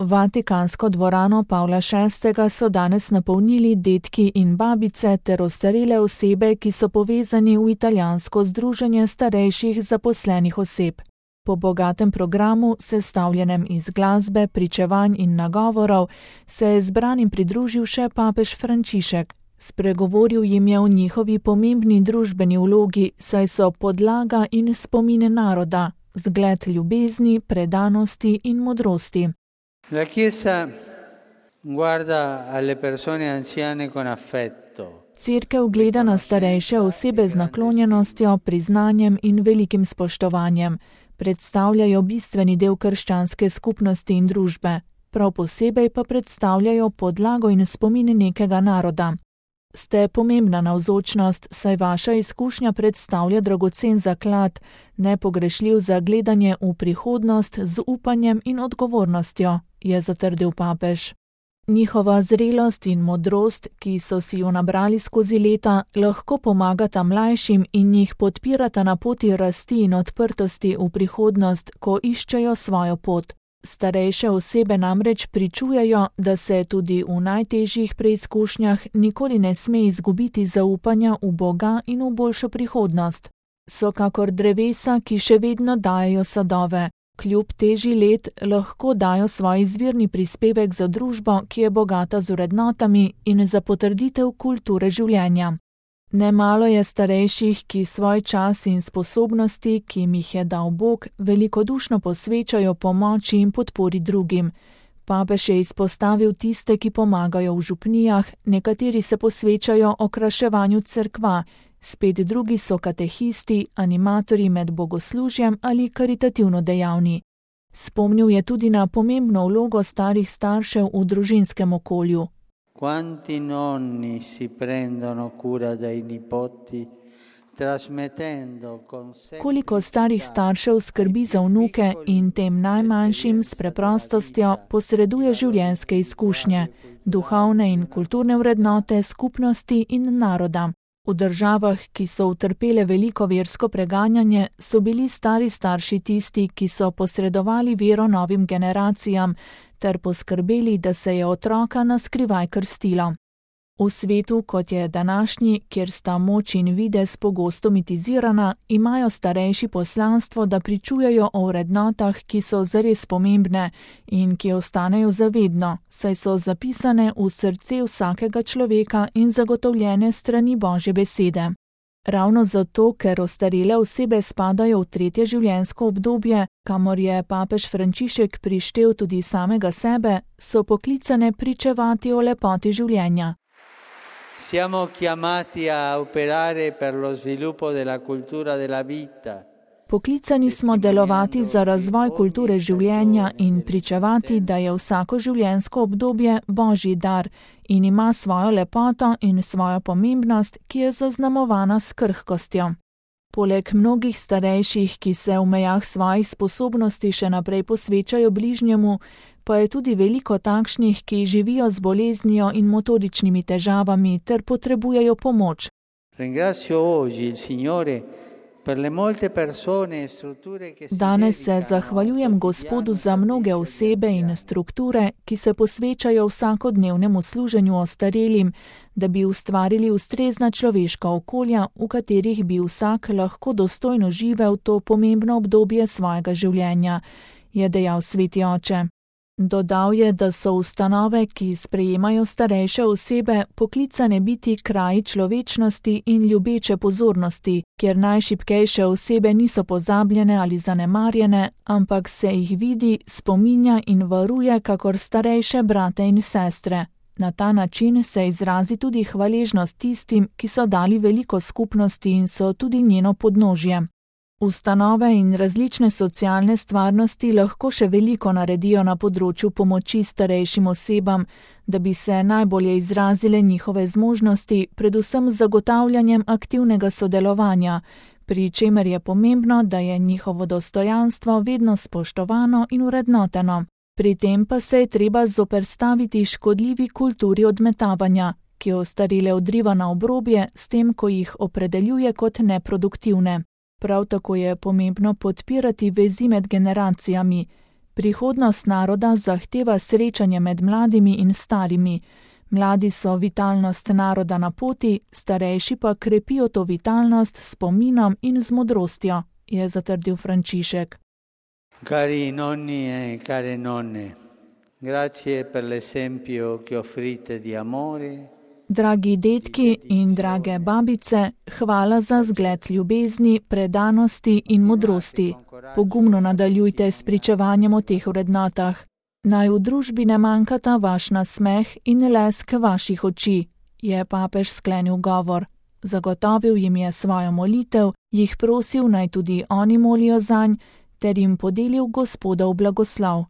Vatikansko dvorano Pavla VI. So danes napolnili dedki in babice ter ostarele osebe, ki so povezani v italijansko združenje starejših zaposlenih oseb. Po bogatem programu, sestavljenem iz glasbe, pričevanj in nagovorov, se je zbranim pridružil še papež Frančišek. Spregovoril jim je o njihovi pomembni družbeni vlogi, saj so podlaga in spomine naroda, zgled ljubezni, predanosti in modrosti. La Chiesa guarda alle persone anziane con affetto. Cerkev gleda na starejše osebe z naklonjenostjo, priznanjem in velikim spoštovanjem. Predstavljajo bistveni del krščanske skupnosti in družbe. Prav posebej pa predstavljajo podlago in spomin nekega naroda. Ste pomembna navzočnost, saj vaša izkušnja predstavlja dragocen zaklad, nepogrešljiv za gledanje v prihodnost z upanjem in odgovornostjo, je zatrdil papež. Njihova zrelost in modrost, ki so si jo nabrali skozi leta, lahko pomagata mlajšim in jih podpirata na poti rasti in odprtosti v prihodnost, ko iščejo svojo pot. Starejše osebe namreč pričujejo, da se tudi v najtežjih preizkušnjah nikoli ne sme izgubiti zaupanja v Boga in v boljšo prihodnost. So kakor drevesa, ki še vedno dajejo sadove. Kljub teži let lahko dajo svoj izvirni prispevek za družbo, ki je bogata z vrednotami in za potrditev kulture življenja. Nemalo je starejših, ki svoj čas in sposobnosti, ki jim jih je dal Bog, velikodušno posvečajo pomoči in podpori drugim. Papež je izpostavil tiste, ki pomagajo v župnijah, nekateri se posvečajo okraševanju cerkva, spet drugi so katehisti, animatorji med bogoslužjem ali karitativno dejavni. Spomnil je tudi na pomembno vlogo starih staršev v družinskem okolju. Quanti nonni si prendono cura dei nipoti, trasmettendo con sé. Koliko starih staršev skrbi za vnuke in tem najmanjšim s preprostostjo posreduje življenjske izkušnje, duhovne in kulturne vrednote skupnosti in naroda. V državah, ki so utrpele veliko versko preganjanje, so bili stari starši tisti, ki so posredovali vero novim generacijam, ter poskrbeli, da se je otroka naskrivaj krstilo. V svetu, kot je današnji, kjer sta moč in videz pogosto mitizirana, imajo starejši poslanstvo, da pričujejo o vrednotah, ki so zares pomembne in ki ostanejo zavedno, saj so zapisane v srce vsakega človeka in zagotovljene strani Božje besede. Ravno zato, ker ostarele osebe spadajo v tretje življenjsko obdobje, kamor je papež Frančišek prištel tudi samega sebe, so poklicane pričevati o lepoti življenja. Siamo chiamati a operare per lo sviluppo della cultura della vita. Poklicani smo delovati za razvoj kulture življenja in pričevati, da je vsako življenjsko obdobje Božji dar in ima svojo lepoto in svojo pomembnost, ki je zaznamovana s krhkostjo. Poleg mnogih starejših, ki se v mejah svojih sposobnosti še naprej posvečajo bližnjemu, pa je tudi veliko takšnih, ki živijo z boleznijo in motoričnimi težavami ter potrebujejo pomoč. Danes se zahvaljujem Gospodu za mnoge osebe in strukture, ki se posvečajo vsakodnevnemu služenju ostarelim, da bi ustvarili ustrezna človeška okolja, v katerih bi vsak lahko dostojno živel to pomembno obdobje svojega življenja, je dejal sveti oče. Dodal je, da so ustanove, ki sprejemajo starejše osebe, poklicane biti kraji človečnosti in ljubeče pozornosti, kjer najšibkejše osebe niso pozabljene ali zanemarjene, ampak se jih vidi, spominja in varuje kakor starejše brate in sestre. Na ta način se izrazi tudi hvaležnost tistim, ki so dali veliko skupnosti in so tudi njeno podnožje. Ustanove in različne socialne stvarnosti lahko še veliko naredijo na področju pomoči starejšim osebam, da bi se najbolje izrazile njihove zmožnosti, predvsem z zagotavljanjem aktivnega sodelovanja, pri čemer je pomembno, da je njihovo dostojanstvo vedno spoštovano in vrednoteno. Pri tem pa se je treba zoperstaviti škodljivi kulturi odmetavanja, ki ostarele odriva na obrobje s tem, ko jih opredeljuje kot neproduktivne. Prav tako je pomembno podpirati vezi med generacijami. Prihodnost naroda zahteva srečanje med mladimi in starimi. Mladi so vitalnost naroda na poti, starejši pa krepijo to vitalnost s spominom in z modrostjo, je zatrdil Frančišek. Cari nonni e care nonne, grazie per l'esempio che offrite di amore. Dragi dedki in drage babice, hvala za zgled ljubezni, predanosti in modrosti. Pogumno nadaljujte s pričevanjem o teh vrednotah. Naj v družbi ne manjkata vaš nasmeh in lesk vaših oči, je papež sklenil govor. Zagotovil jim je svojo molitev, jih prosil naj tudi oni molijo zanj, ter jim podelil Gospodov blagoslov.